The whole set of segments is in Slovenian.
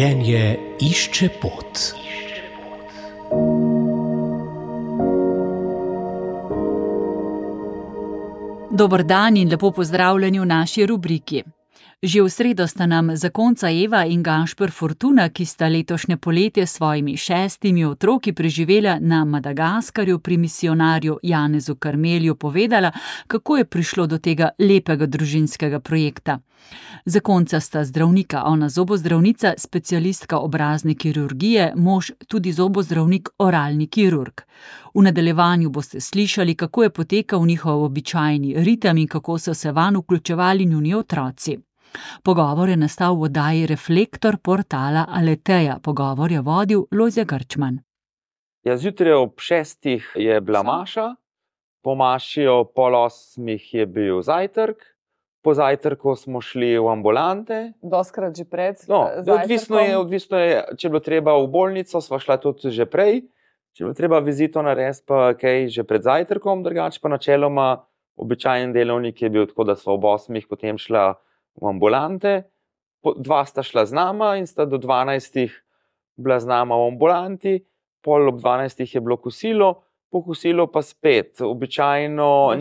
Življenje išče pot. Dober dan in lepo pozdravljeni v naši rubriki. Že v sredo sta nam zakonca Eva in Gašper Fortuna, ki sta letošnje poletje s svojimi 6 otroki preživela na Madagaskarju pri misijonarju Janezu Karmelju, povedala, kako je prišlo do tega lepega družinskega projekta. Zakonca sta zdravnika, ona zobozdravnica, specialistka obrazne kirurgije, mož tudi zobozdravnik, oralni kirurg. V nadaljevanju boste slišali, kako je potekal njihov običajni ritem in kako so se vanj vključevali njuni otroci. Pogovor je nastal v oddaji Reflektor portala Aleteja. Pogovor je vodil Lojze Grčman. Ja, zjutraj ob 6 je bila maša, po maši ob 7:30 je bil zajtrk, po zajtrku smo šli v ambulante. Doskrat že pred odvisno je, če je bilo treba v bolnico, sva šla tudi že prej, če je bilo treba vizito narediti, pa kaj že pred zajtrkom, drugače pa načeloma običajen delovnik je bil tako, da sva ob 8 potem šla v ambulante, 2 sta šla z nama in sta do 12 bila z nama v ambulanti, pol ob 12 je bilo kosilo, po kosilu pa spet. Običajno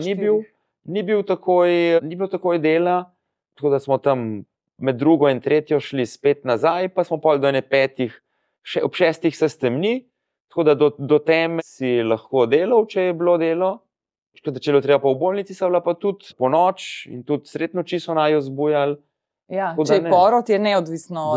ni bilo takoj dela, tako da smo tam med 2. in 3. šli spet nazaj, pa smo pol do 5, ob 6 se stemni, tako da do teme si lahko delal, če je bilo delo. Če je bilo treba pa v bolnici, so bila pa tudi po noč in tudi sred noči so naju zbujali. Ja, če je porod, je neodvisno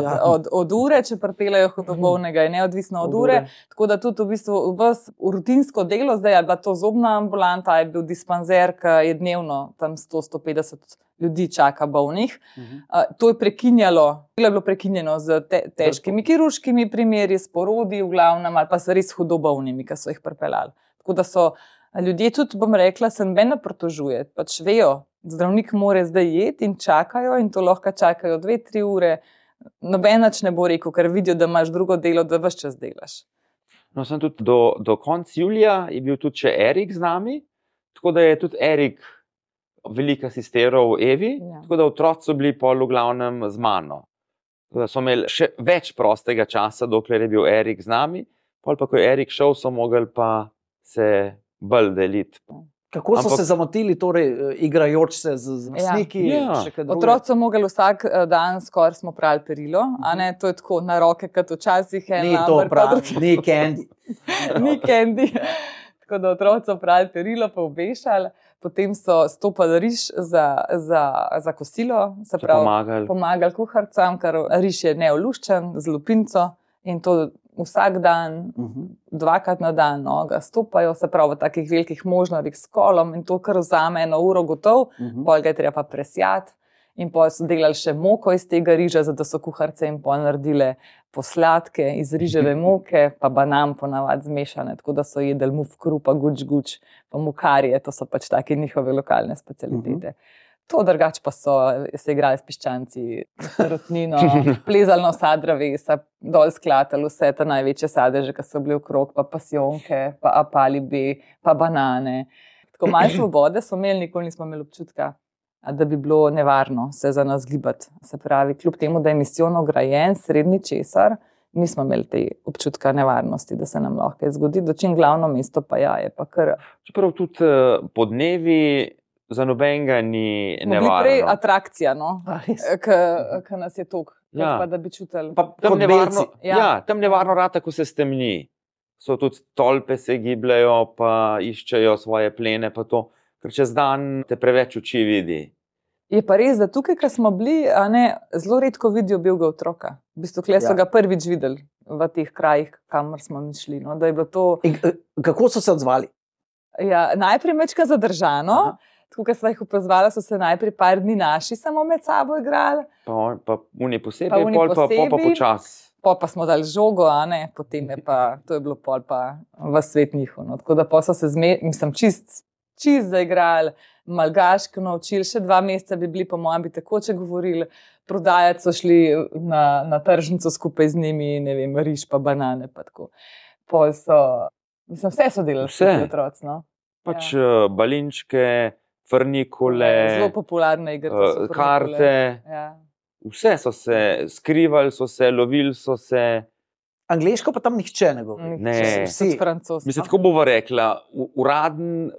od ure, če pripeljejo hudobolnega, je neodvisno od ure. Tako da tudi v bistvu rutinsko delo, zdaj je bila to zobna ambulanta, je bil dispanzer, ki je dnevno tam 100-150 ljudi čaka bolnih. To je prekinjalo, je bilo prekinjeno z težkimi kirurškimi primeri, s porodi v glavnem, ali pa s res hudobolnimi, ki so jih pripeljali. Tako da so ljudje tudi, bom rekla, se nobeno pritožuje, pač vejo, zdravnik mora zdaj jeti in čakajo in to lahko čakajo 2-3 ure. Noben nič ne bo rekel, ker vidijo, da imaš drugo delo, da ves čas delaš. No, sem tudi do konca julija je bil tudi še Erik z nami, tako da je tudi Erik veliko asistiral Evi, tako da otroci so bili pol v glavnem z mano. Tako da so imeli še več prostega časa, dokler je bil Erik z nami, pol pa ko je Erik šel, so mogli pa se bolj deliti. Kako so se zamotili, torej igrajoč se z vrstniki? Otroci so mogli vsak dan skoraj smo prali perilo, a ne, to je tako na roke, kot včasih Ni to prav, ni candy. Ni candy. Tako da otroci so prali perilo, pa obešali, potem so stopali riž za kosilo, se pravi pomagali kuharcam, ker riž je neoluščen z lupinco in to vsak dan, 2krat na dan ga stopajo, se pravi v takih velikih možnarjih s kolom in to kar vzame 1 uro gotov, pol ga je treba pa presjati in pol so delali še moko iz tega riža, zato so kuharce in pol naredile posladke iz riževe moke, pa banan ponavadi zmešane, tako da so jedli mufkru, pa guč, pa mukarije, to so pač take njihove lokalne specialitete. To drugače pa so se igrali s piščanci, rotnino, plezali na vsa drevesa, dol sklatali vse te največje sadeže, ki so bili okrog, pa pasijonke, pa apalibi, pa banane. Tako malo svobode so imeli, nikoli nismo imeli občutka, da bi bilo nevarno se za nas gibati. Se pravi, kljub temu, da je misijon ograjen, srednji česar, nismo imeli te občutka nevarnosti, da se nam lahko zgodi, dočim glavno mesto pa je pa kar. Čeprav tudi podnevi za nobenega ni nevarno. Smo bili prej atrakcija, ki nas je toliko, pa da bi čutili. Tam nevarno rata, ko se stemni. So tudi tolpe se gibljajo, pa iščejo svoje plene, pa to, ker čez dan te preveč oči vidi. Je pa res, da tukaj, ko smo bili, zelo redko vidijo belega otroka. V bistvu, kle so ga prvič videli v teh krajih, kamor smo mi šli. Da je bilo to... Kako so se odzvali? Ja, najprej mečka zadržano. Tako, ko sva jih opazvala, so se najprej par dni naši samo med sabo igrali. Pa uni posebej, pol pa počas. Pol pa smo dali žogo, potem je pa, to je bilo pol pa v svet njihov. Tako da pol so se čist zaigrali, malgaško naučili, še 2 meseca bi bili, po mojem, bi takoče govorili, prodajati so šli na tržnico skupaj z njimi, ne vem, riž pa banane, pa tako. Pol so, vse so delali s otroci, no. Pač balinčke, frnikole, zelo popularne igre, karte, Vse so se skrivali, so se lovili, so se. Angleško pa tam nihče ne govori. Ne, vsi francoski. Mislim, tako bova rekla,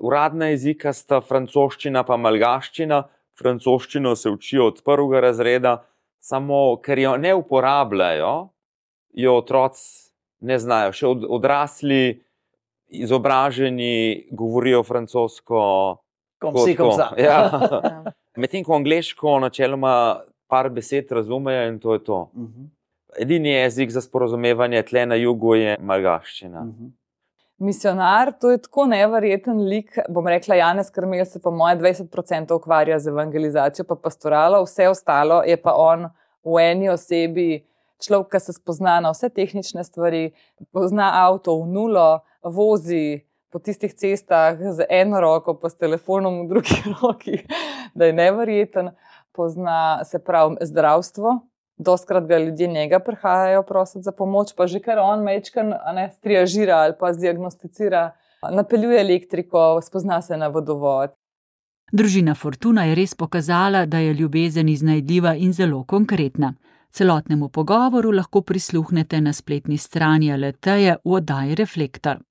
uradna jezika sta francoščina pa malgaščina. Francoščino se učijo od 1. razreda, samo ker jo ne uporabljajo, jo otroci ne znajo. Še odrasli, izobraženi govorijo francosko. Ja. Medtem ko angleško načeloma par besed razumejo in to je to. Edini jezik za sporazumevanje tle na jugu je malgaščina. Misionar, to je tako neverjeten lik, bom rekla Janez Krmelj se pa moje 20% ukvarja z evangelizacijo pa pastoralo, vse ostalo je pa on v eni osebi človek, ki se spozna na vse tehnične stvari, pozna avto v nulo, vozi po tistih cestah z eno roko pa s telefonom v drugi roki, da je neverjeten, pozna se pravi zdravstvo. Dostkrat ga ljudje njega prihajajo prositi za pomoč, pa že kar on mečkan triažira ali pa zdiagnosticira, napeljuje elektriko, spozna se na vodovod. Družina Fortuna je res pokazala, da je ljubezen iznajdljiva in zelo konkretna. Celotnemu pogovoru lahko prisluhnete na spletni strani Aleteje v oddaji Reflektor.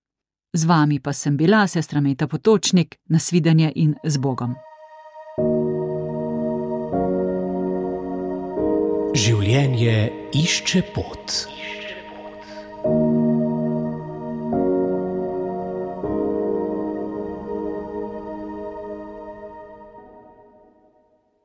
Z vami pa sem bila sestra Meta Potočnik, nasvidenje in z Bogom. Življenje išče pot.